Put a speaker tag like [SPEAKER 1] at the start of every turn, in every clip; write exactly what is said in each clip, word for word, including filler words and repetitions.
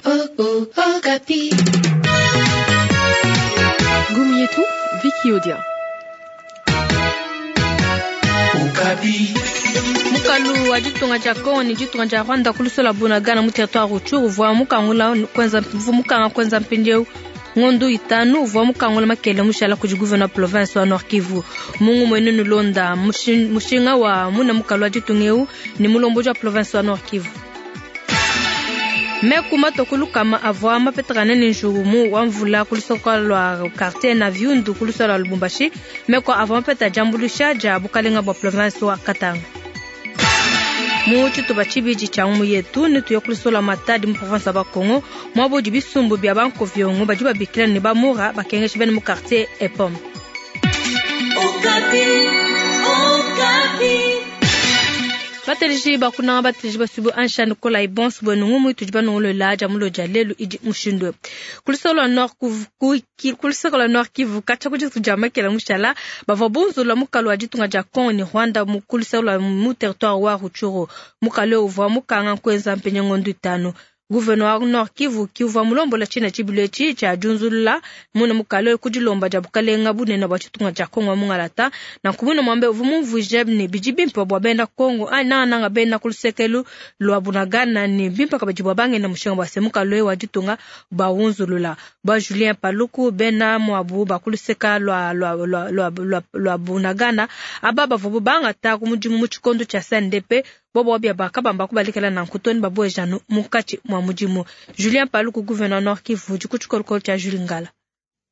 [SPEAKER 1] Okapi.
[SPEAKER 2] Ngumu yetu Vicky Odia.
[SPEAKER 1] Okapi.
[SPEAKER 3] Mukalu wa ditunga dia Kongo ne ditunga dia Rwanda kulusola Bunagana mu territoire Rutshuru uvua mukangula kwenza mukanga kwenza mpindieu ngondo itanu uvua mukangula makele mushala kudi gouverneur province wa Nord Kivu mungu mwene nulonda mushinga wa muna mukalu wa ditunga eu ni mulomboji wa province wa Nord Kivu. Meku matokulu kama avua mapetakane ni njurumu wa mvula kulisoka lwa quartier na viundu kulisola lwa Lubumbashi meko avua mapeta jambulusha ja bukalenga bwa province wa Katanga. Mu tshitupa tshibidi tshia ngumu yetu ne tuya kulisola Matadi mu province ya Bakongo mwabo bisumbu bia bankoviongo badi babikila ne bamura bakengesha bene mu quartier Epom.
[SPEAKER 1] Okapi, Okapi.
[SPEAKER 3] Bateliji bakunanga bateliji basubu ansha Nicolas Ibons bwenu ngumu itudi banongolola ja mulo ja lelu idi mushindwe. Kulisola Nord Kivu kulisola Nord Kivu kacha kuji tujamakela mushala bavua bunzula mukalu wa ditunga dia Kongo ni Rwanda mu kulisola mu territoire wa Rutshuru mukalu uvua mukanga kwenza mpenye ngondo itanu. Gouverneur wa Nord Kivu kiuvua mulombola tshina tshibilu etshi tshia diunzulula muna mukalu kudilomba dia bukalenga bunene bua tshitunga tshia Kongo mungalata na nkumuna mwambe uvua mumvuije ne bidi bimpe bua bena Kongo anyi nangananga bena kulusekelu lua Bunagana ne bimpe kabidi bua bangenda mushinga bua se mukalu wa ditunga bawunzulula bua Julien Paluku bena muabu bakuluseka lua lua lua lua lua, lua Bunagana aba bavua bangata ku mudimu mu tshikondo tshia C N D P bobo wabia bakabamba kubalikela na nkutoni babwejanu mukati mwa mudimu. Julien Paluku gouverneur Nord Kivu dikutshikolokolo tshia Jules Ngala.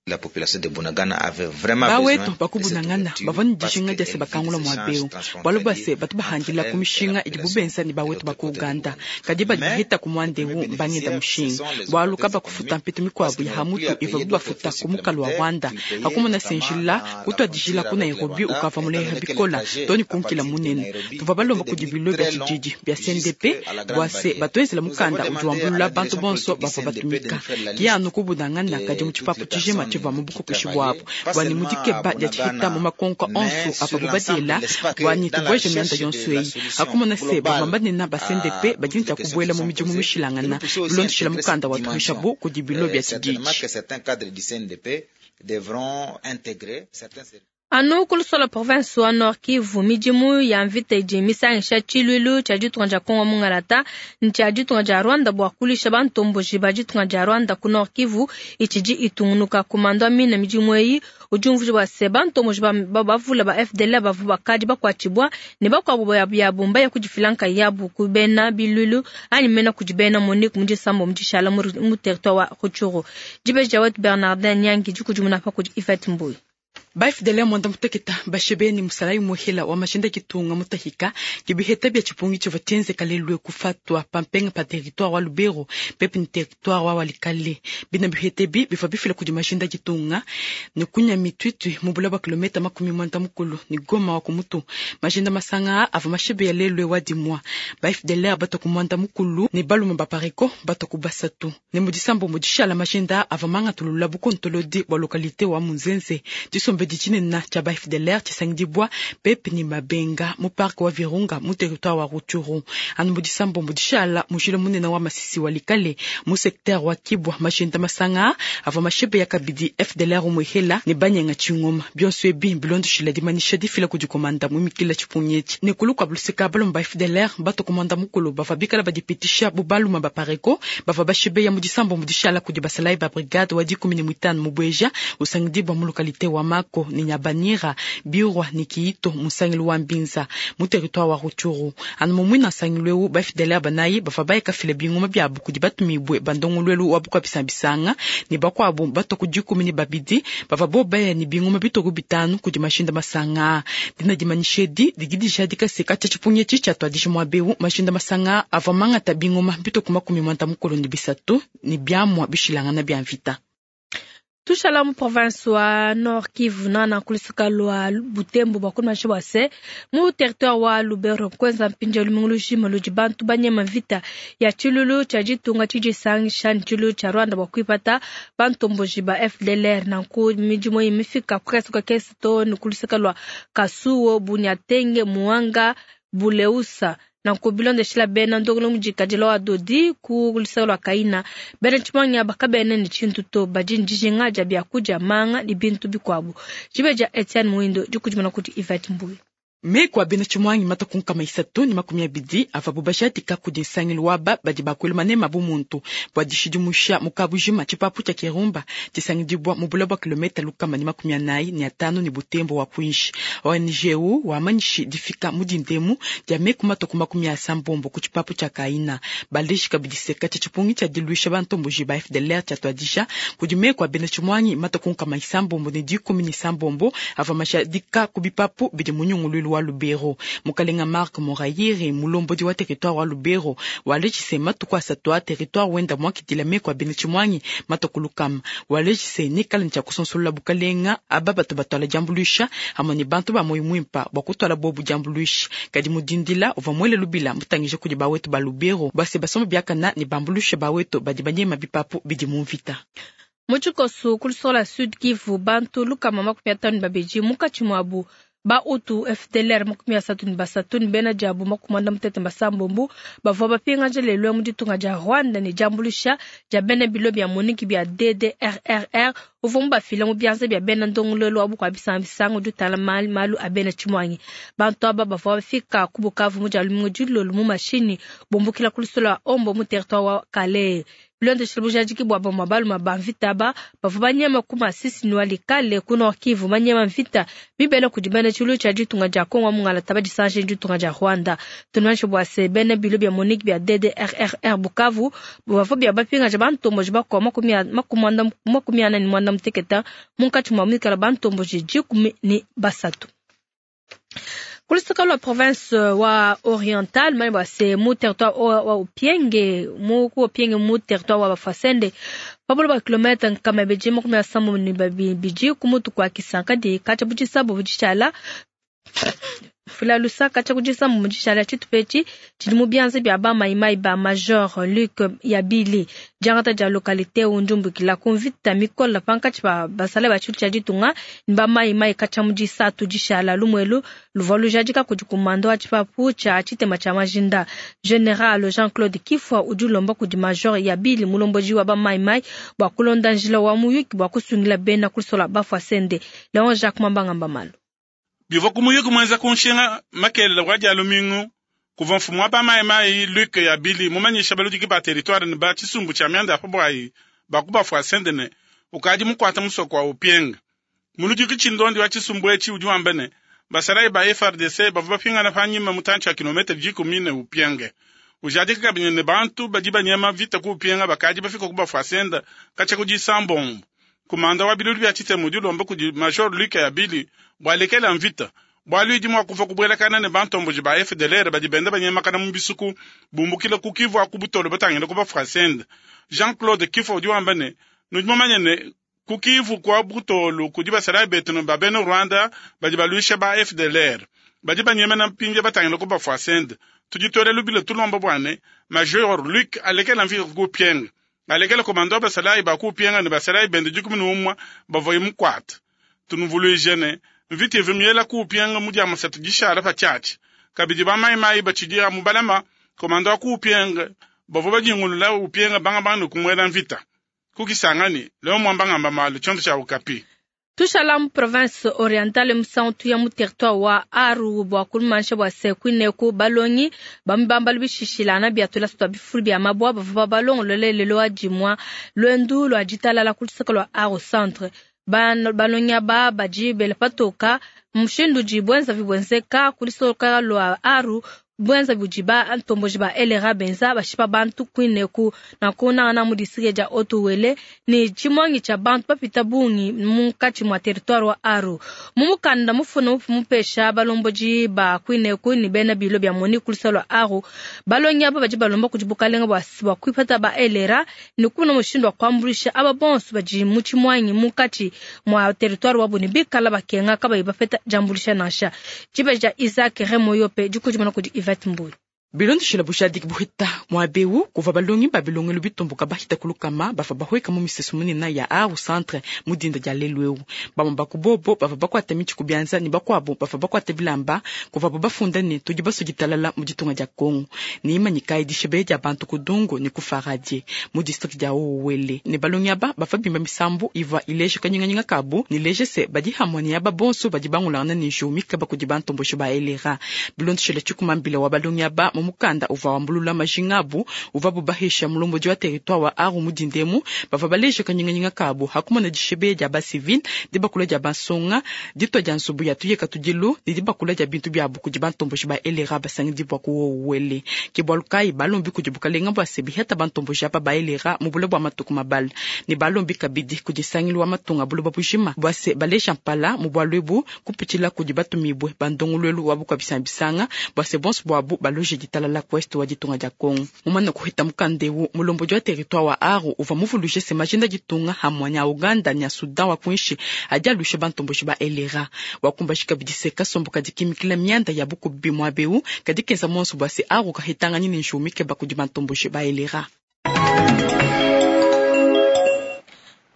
[SPEAKER 4] La population de Bunagana avait vraiment
[SPEAKER 5] bawetu
[SPEAKER 4] besoin
[SPEAKER 5] baku Bunagana bavua ne dijinga dia se bakangula muaba eu bualu bua se batu bahandila ku mishinga idi bubenza ne bawetu ba ku Uganda kadi badi bahita ku muanda eu mbangenda mushinga bualu kabakufuta mpetu mikuabu ya hamutu ivua bubafuta ku mukalu wa Rwanda hakumona senjila kutuadijila ku Nairobi ukava muleha bikola toni kunkila munene tuvua balomba kudi bilo bia tshididi bia C N D P bua se batuenzela mukanda udi wambulula bantu bonso bavua batumika kianu ku Bunagana kadi mu tshipapu tshijima tshivua mu bukokeshi bwabo bua ne mudikeba dia tshihita mu makonka onso ava bubadiela bua ne tubueje mianda yonso eyi akumona se bavua banena ba C N D P badi ne tshia kubuela mu midimu mishilangana bilondeshila mukanda wa tuhishabu kudi bilo bia tshididi.
[SPEAKER 3] Anu kulusola province wa Nord Kivu midimu ya mvita idi misangisha tshiluilu tshia ditunga dia Kongo mungalata ne tshia ditunga dia Rwanda bua kulisha bantomboji ba ditunga dia Rwanda ku Nord Kivu itshidi itungunuka kumando amina midimu eyi udi umvuija bua se bantomboji ba bavula ba F D L bavua bakadi bakuatshibua ne bakuabu ya bumba ya kudifilanka yabu ku bena biluilu anyi mena kudi bena Monique mu disambo mu dishala mu territoire wa Rutshuru. Dibeji dia wetu Bernardin Nyangi dikudimuna pa kudi Yvette Mbuyi.
[SPEAKER 5] Ba F D L mwanda muteketa bashebeni musalayi muhela wa mashinda kitunga mutahika kibiheta bia tshipungi tshivua tshienzeka lelu kufatwa pampenga pa territoire wa Lubero pepe ni territoire wa Walikale bina bihete bi bivua bifila kudi mashinda kitunga ne kunya mitwitwi mu bula bua kilometa makumi mwanda mukulu ni Goma wa kumutu mashinda masanga avua mashebe ya lelu wa dimwa ba F D L bato ku mwanda mukulu ne baluma ba pareko bato ku basatu ne mudisambo mudishala mashinda avua mangatulula bukontolodi bua localité wa Munzenze disombe tshinene tshia ba F D L tshisangidibwa pepe ni mabenga mu parc wa Virunga mu territoire wa Rutshuru anu mudisambo mudishala mujila munene wa Masisi Walikale mu secteur wa Kibwa mashinda masanga avua mashebe ya kabidi F D L umuhela ne banyenga tshingoma bionso ebi bilondoshila dimanisha difila kudi komanda mu mikila tshipungi ne kulu kwa buluseka balomba F D L bato komanda mukulu bavua bikala badipitisha bubaluma ba pareko bavua bashebe ya mudisambo mudishala kudi basalai ba brigade wa dikumi ne mwitano mu Bweja usangidibwa mu localité wa Mako ni Nyabanira Birwa ni Kiito musangilu wa Mbinza mu territoire wa Rutshuru anu mumwina nsangilu eu ba F D L banayi bavua bayekafile bingoma biabu kudi batumibwe bandongoluelu wa bukwabisambisanga ne bakuabu bato ku dikumi ne babidi bavua bobaya ne bingoma bitoku bitanu kudi mashinda masanga dina dimanyishedi didi dijadika se katshia tshipungi etshi tshiatuadija muaba eu mashinda masanga avua mangata bingoma bitoku makumi mwanda mukulu ne bisatu ne biamua bishilangana bia mvita.
[SPEAKER 3] Tushala mu province wa Nord Kivu nana kulisaka lwa Butembo bwa kumasha bwa se mu territoire wa Lubero kwenza mpinja lumingu lushima ludi bantu banyema vita ya tshilulu tshia ditunga tshidisangisha tshilulu tshia Rwanda bwa kuipata bantomboji ba F D L R nanku midimu imifika kukasuka kesi to ni kulisaka lwa Kasuo Bunyatenge Muanga Buleusa Nanku bilondeshila bena ndongolo mudikadila wa dodi ku luseke lua Kaina, bena tshimuangi aba kabena ne tshintu to, badi ne dijinga dia biakudia, manga ne bintu bikuabu. Dibe dia Etienne Muindo dikudimuna kudi Yvette Mbuyi.
[SPEAKER 5] Meku a bena tshimuangi matuku nkama isatu ne makumi abidi avabu bajadika kudi nsangilu waba badi bakuela manema bu muntu bua dishidimusha mu kabujima tshipapu tshia Kirumba tshisangidibwa mu bula bua kilometa lukama ne makumi anayi ne atanu ne Butembo wa kuinshi. O N G U wamanyishi difika mu dindemu dia meku matuku makumi asambombo ku tshipapu tshia Kaina. Baleji kabidi seka tshia tshipungi tshia diluisha bantomboji ba F D L R tshia tuadisha kudi meku a bena tshimuangi matuku nkama isambombo ne dikumi ne isambombo ava mashadika ku bipapu bidi mu nyunguluilu wa Lubero. Mukalenga Marc Morayire mulombodi wa territoire wa Lubero walejise matuku asatu a territoire wenda mwakidila meku a bena tshimuangi matuku lukama. Walejise nikala ntshia kusonsola bukalenga aba bato batwala diambuluisha hamwe ne bantu ba moyo mwimpa bua kutwala bobu diambuluisha. Kadi mudindila uvua mwele lubila mutangije kudi bawetu ba Lubero base basomba biakana ne bambuluisha bawetu badi banyema bipapu bidi mu mvita.
[SPEAKER 3] Mu tshikoso ku luseke Sud Kivu bantu lukama makumi atanu babidi munkatshi muabu ba utu F D L R makumi asatu ne basatu ne bena diabu makumi anda mutete basambombo bavua bapingaja lelo mu ditunga dia Rwanda ne diambuluisha dia bena bilo bia Monique bia D D R R R uvua mubafila mu bianza bia bena ndongoluelu wa bukua bisangisangi udi utala malu a bena tshimuangi. Bantu aba bavua bafika ku Bukavu mu dia lumingu dilolo mu mashini bumbukila ku lusolo lua Ombo mu territoire wa Kalehe. Bilondeshile bujadiki bua bamue balume ba mvita aba bavua banyema ku Masisi ne Walikale ku Nord Kivu banyema mvita mibele kudi bena tshilu tshia ditunga dia Kongo mungala badisange ditunga dia Rwanda. Tunumanyishe bua se bena bilo bia Monique bia D D R R R Bukavu bavua bia bapingaja bantomboji bakua makumi ana ne muanda muteketa munkatshi mua mikala bantomboji dikumi ne basatu. Ku luseke lua province wa Oriental mani bua se mu territoire wa Upienge mu ku Upienge mu territoire wa Bafwasende pabolo ba kilomètre nkama ibidi makumi asambo ne babidi ku mutu kua Kisanka di katshia bu disabu bu fula lusaka tshia kudisa mu dishala tshitupetshi tshidi mu bianza bia ba maimai ba Major Luc Yabili diangata dia localité undumbukila ku mvita mikola pankatshi ba basala ba tshilu tshia ditunga ne ba maimai katshia mu disatu dishala lumwelu luvua lujadika kudi kumando wa tshipapu tshia tshitema tshia majinda. General Jean-Claude Kifwa udi ulomba kudi Major Yabili mulomboji wa ba maimai bua kulonda njila wa muyuki bua kusungila bena kusola Bafwasende. Leon Jacques Mambangamba Malo
[SPEAKER 6] bivua kumuyuki mwenza kunshinga makelele wa dia lumingu kuva mfumu wa bamayimayi Luc Yabili mumanyisha baludiki ba territoire ne ba tshisumbu tshia mianda ya pabwayi baku Bafwasende ne ukadi mukwata musoko wa Upienga. Muludiki tshindondi wa tshisumbu etshi udi wamba ne basalayi ba F R D C bavua bapingana panyima mutantshi wa kilomètre dikumi ne Upienge. Ujadika kabidi ne bantu badi banyema vita ku Upienga bakadi bafika ku Bafwasende katshia ku disambombo. Kumanda wa bilulu bia tshitemu udi ulomba kudi Major Luc Yabili bua lekela mvita bualu idi mua kuva kubuelakana ne bantomboji ba F D L R badi benda banyemakana mu bisuku bumbukila ku Kivu aku Butolo batangila ku Bafwasende. Jean-Claude Kifwa udi wamba ne nudi mumanye ne ku Kivu kwa Butolo kudi basalayi betu ne ba bena Rwanda badi baluisha ba F D L R badi banyemena mpindia batangila ku Bafwasende. Tuditole lubila tulomba bua ne Major Luc alekela mvita ku Upienga alekela komando basalayi ba ku Upienga ne basalayi bende dikumi ne umue bavua mukwata. Tunuvuluije ne mvita ivu miela ku Upienga mu dia masatu dishala pa tshiatshi. Kabidi ba mayimayi batshidi mu balama komando wa ku Upienga bavua badingulula Upienga banga banga ne kumuela mvita. Kukisangani leo mwamba ngamba malu tshiondo tshia Okapi.
[SPEAKER 3] Tushala mu province orientale musantu ya mu territoire wa Aru bua kulumansha bua se kuineku balongi bamubamba lubishishilana bia tulasu twa bifulu bia mabwa bavua balongolole lelo wa dimua lwendu lwa ditalala ku luseke lua Aru centre. Balongi aba badi bela patoka mushindu udi bwenza bibwenzeka ku luseke lua Aru bwenza budi ba ntomboji ba L R A benza bashipa bantu kuineku na kunangana mu district dia Otuwele ni tshimongi tsha bantu bapita bungi munkatshi mua territoire wa Aru. Mu mukanda mufuna mupesha balomboji ba kuineku ni bena bilo bia moni ku luseke lua Aru balongi aba badi balomba kudi bukalenga bua bua kuipata ba L R A ni kuna mushindu wa kuambulisha aba bonso badi mu tshimongi munkatshi mua territoire wa buni bikala bakenga kabayi bapeta diambulisha nansha. Tshibeja Isaac Remoyope dikudimana kudi Yvette Mbuyi.
[SPEAKER 5] Bilondeshela bushadiki buhita muabeu kuva balongi babilongelo bitumbuka bahita kulukama bava bahweka mu misesu munene ya Aru centre mu dinda dia lelu eu. Bamwe bakubobo bava bakwata mitshi kubianza ni bakwabo bava bakwata bilamba kuva bafunda ne tudi basuditalala mu ditunga dia Kongo. Ni imanyika dishebe dia bantu kudungu ni kufaradie mu district dia Owele. Ne balongi aba bava bimba misambu iva ileje kanyinganyinga kabu ni leje se badi hamwe ni aba bonso badi bangulana ni jumika bakudi bantombosho ba elera. Bilondeshela tshikumambila wa balongi aba mukanda uva wambulula majingabu uva bubahisha mulomboji wa territoire wa Aru mudindemu bava baleje kanyinganyinga kabo hakumona dishebe dia ba civil dibakula dia bansonga ditwa dia nsubu ya tuyeka tudilu ne dibakula dia bintu bia buku dibantomboji ba elera basangi bwa kuwele ke bwalukai balombi kudi bukalenga bwa sebi heta bantomboji apa ba elera mubule bwa matuku mabala ne balombi kabidi kudisangilwa wa matunga buloba bujima bwa se baleja mpala mu bwalwebu kupitshila kudi batumibwe bandongolwelu wa bukwabisambisanga bwa se bonso bwabu baloje ditala la kwest wa ditunga dia Kongo. Mumana kuhita mukandewu mulomboji wa territoire wa Aru uva muvuluje se majinda ditunga hamwe nya Uganda nya Sudan wa kunshi adi alushe bantomboji ba elera wakumbashi kabidi se kasombo kadi kimikila mianda ya bukubi mwabeu kadi kenza monso bwa se Aru kahitanga nini njumike bakudi bantomboji ba elera.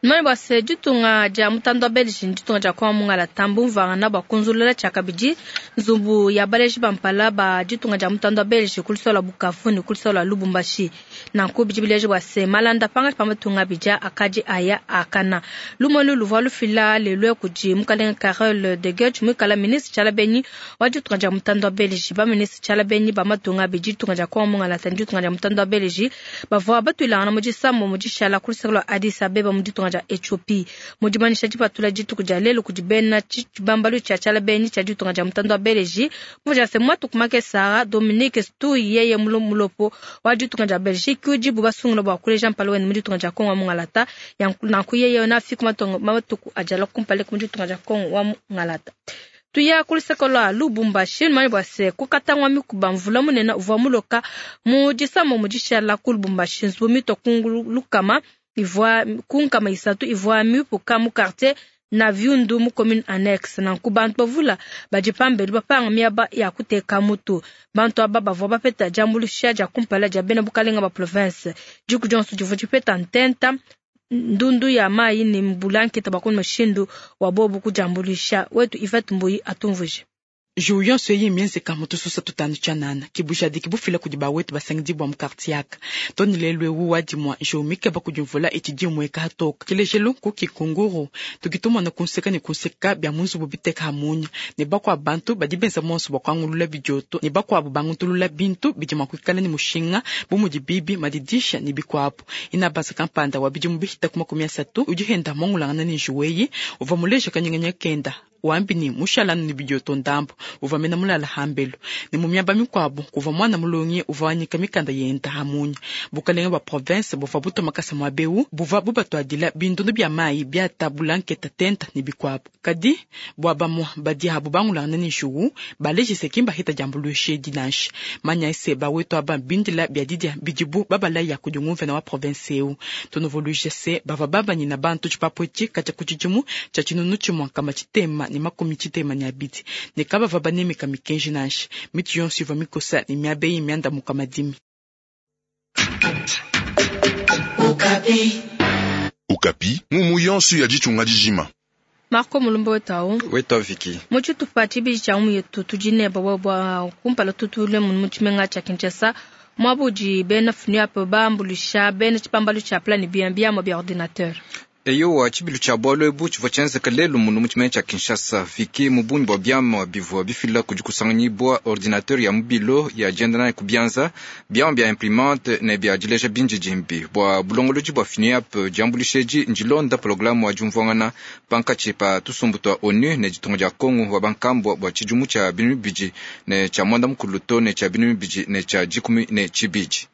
[SPEAKER 3] Mane bwa se ditunga dia mutando wa Belgique ditunga dia kwa mungala tambu mvangana bwa kunzulula tshia kabidi nzumbu ya baleji bampala ba ditunga dia mutando wa Belgique kulisola Bukavu ne kulisola Lubumbashi nanku bidi bileji bwa se malanda panga pa matunga bija akadi aya akana lumonu luvua lufila lelwe kudi mukalenga Carole de Gucht muikala ministre tshiala benyi wa ditunga dia mutando wa Belgique ba ministre tshiala benyi ba matunga bidi ditunga dia kwa mungala tandi ditunga dia mutando wa Belgique bavua batuilangana mu disambo mu dishala kulisola Addis Abeba mu ditunga dia Ethiopie mudimanisha dipatula dituku dia lelo kudi bena tshibambalu tshia tshiala benyi tshia ditunga dia mutando wa Belgique muja se mwatuku make Sara Dominique Stuy yeye mulopo wa ditunga dia Belgique udi basungula bwa kuleja mpala wene mu ditunga dia Kongo wa mungalata nanku yeye na fiku matuku ajala kumpale mu ditunga dia Kongo wa mungalata. Tuya kuliseko lwa Lubumbashi mani bwa se kukatangwa mikuba mvula munene uvua muloka mu disamo mu dishala ku Lubumbashi nzubu mito kungulukama ivua kunkama isatu ivua mipuka mu quartier na viundu mu commune annexe nanku bantu bavula badi pambelu bapanga miaba ya kuteka mutu bantu aba bavua bapeta diambuluisha dia kumpala dia bena bukalenga ba province diku dionso divua dipeta ntenta ndundu ya mayi ni mbulanketa bakoni mushindu wa bobu kudiambuluisha wetu Yvette Mbuyi atumvuje.
[SPEAKER 5] Juyon soye mienzeka mutususa tutanu chanana kibujadiki bufila kudi bawetu basangidibwa mu quartier aka toni lelwe wu wadimwa jomike bakudimvula etshidimweka hatoka kilejelu ku kikunguru tukitumona kunseka ne kunseka bya munzubu biteka hamunya ne bakwa bantu badi benza monso bakwangulula bidioto ne bakwabu bangutulula bintu bidi makwikala ne mushinga bumudi bibi madidisha ne bikwabu inabasa kampanda wa bidimu bihita ku makumi asatu udi henda mongulangana ne njuweyi uva muleja kanyinganya kenda wambi ni mushalanu ni bidioto ndambo uva mena mulala hambelu ni mumiaba mikwabu kuva mwana mulongi uva wanyika mikanda yenda hamunya bukalenga bwa province buva butoma makasa mwa beu buva bubatwadila bindundu bya mayi byata bulanketa tenta ni bikwabu kadi bwa bamwa badi habu bangulangana ni njuwu balejise kimba hita jambuluishe dinanshi manya ese bawetu aba bindila bya didia bidibu babala ya kudingumvena wa province eu tunovoluje se bava babanyina bantu tshipapwetshi katya kutshidimu tshia tshinunu tshimwa kama tshitema ni makumi tshitema ni abidi ne kabava banemeka mikenji nansha miti yonso ivua mikosa ne miaba eyi miandamuka madimi.
[SPEAKER 1] Okapi.
[SPEAKER 7] Okapi, mumu yonso ya ditunga dijima.
[SPEAKER 3] Marco Mulumba wetau
[SPEAKER 8] wetau Viki
[SPEAKER 3] muchitupa tshibidi tshia umu yetu tudi ne bwa bwa kumpala tutule munu mu tshimenga tshia Kinshasa mwabudi bena FNUAP bambulisha bena tshipambalu tshia plan B biamua bia ordinateur.
[SPEAKER 8] Eyowa tshibilu tshia bwalu ebu tshivua tshienzeka lelu munu mu tshimenga tshia Kinshasa Viki mu bungi bua biamua bivua bifila kudi kusanganyibua ordinateur ya mubilo ya dienda nayi ku bianza biamua bia imprimante ne bia dileja bindidimbi bua bulongolodi bua FNUAP diambuluisha edi ndilonda programu wa diumvuangana pankatshi pa tusumbu tua ONU ne ditunga dia Kongo wa bankambua bua tshidimu tshia binunu bibidi ne tshia mwanda mukulu to ne tshia binunu bibidi ne tshia dikumi ne tshibidi.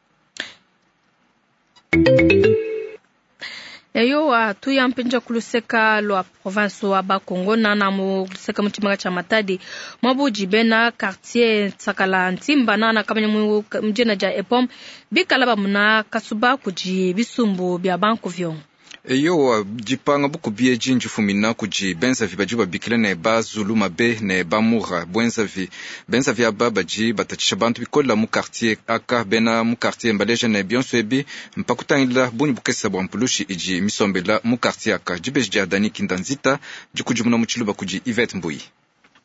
[SPEAKER 3] Eyowa tuya mpinja kuluseka lwa province wa Bakongo nana mu luseka mu tshimenga tshia Matadi mwabudi bena quartier Tsakala Ntimba nana kamanya mu mjina dia Epom bikala bamuna kasuba kudi bisumbu bya banku vyongo.
[SPEAKER 8] Eyowa, dipanga bukubi edi ndifumina kudi benzavi badi babikila ne bazulu mabe ne bamura bwenzavi. Benzavi aba badi batatshisha bantu bikola mu quartier aka. Bena mu quartier mbaleja ne bionso ebi mpakutangila bungi bukesa bua mpulushi idi misombela mu quartier aka. Dibeji dia Dani Kindanzita dikudimuna mu tshiluba kudi Yvette Mbuyi.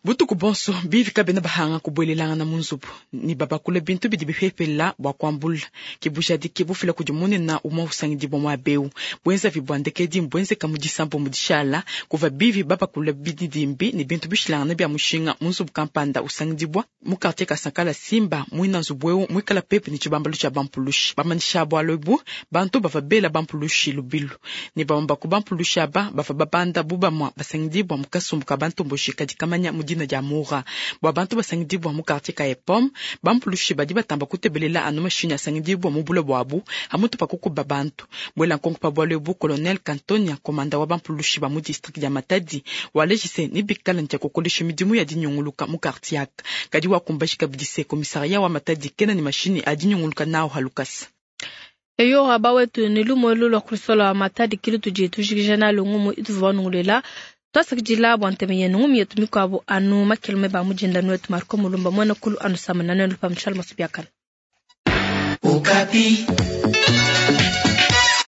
[SPEAKER 5] Butuku bonso bivi kabena bahanga kubuelelangana mu nzubu ne babakula bintu bidi bipepela bua kuambula. Ke bujadiki bufila kudi munene umue usangidibua muaba eu. Buenzavi bua ndekedi mbuenzeka mu disambo mu dishala kuva bivi babakula bididimbi ne bintu bishilangana bia mushinga mu nzubu kampanda usangidibua mu quartier Kasankala Simba. Muina nzubu eu muikala pepe ne tshibambalu tshia bampulushi. Bamanyisha bualu ebu bantu bava bela bampulushi lubilu ne bamue ba ku bampulushi aba bava babanda bu bamue basangidibua mu kasumbu ka bantomboshi kadi kamanya mu dina dia Mura. Bua bantu basangidibua mu quartier ka Epom, bampulushi badi batamba kutebelela anu mashinyi asangidibua mu bulo buabu amutu pa kukuba bantu. Bwela nkonko pa bualu ebu, colonel Kantonia, komanda wa bampulushi ba mu district dia Matadi, walejise ni bikala ntia kukolesha midimu ya dinyunguluka mu quartier aka. Kadi wakumbashi kabidi se komisaria wa Matadi kena ni mashinyi a dinyunguluka nao halukasa.
[SPEAKER 3] Eyo aba wetu ni lumu elu lua kulisola Matadi kilu tudi tujikija nalo ngumu ituvua nungulela. Twasakidila bua nteme yenu ngumu yetu mikuabu anu makelume ba mujinda nuetu Marco Mulumba mwena kulu anu samana nenu pa mshala masubiakana.
[SPEAKER 1] Okapi.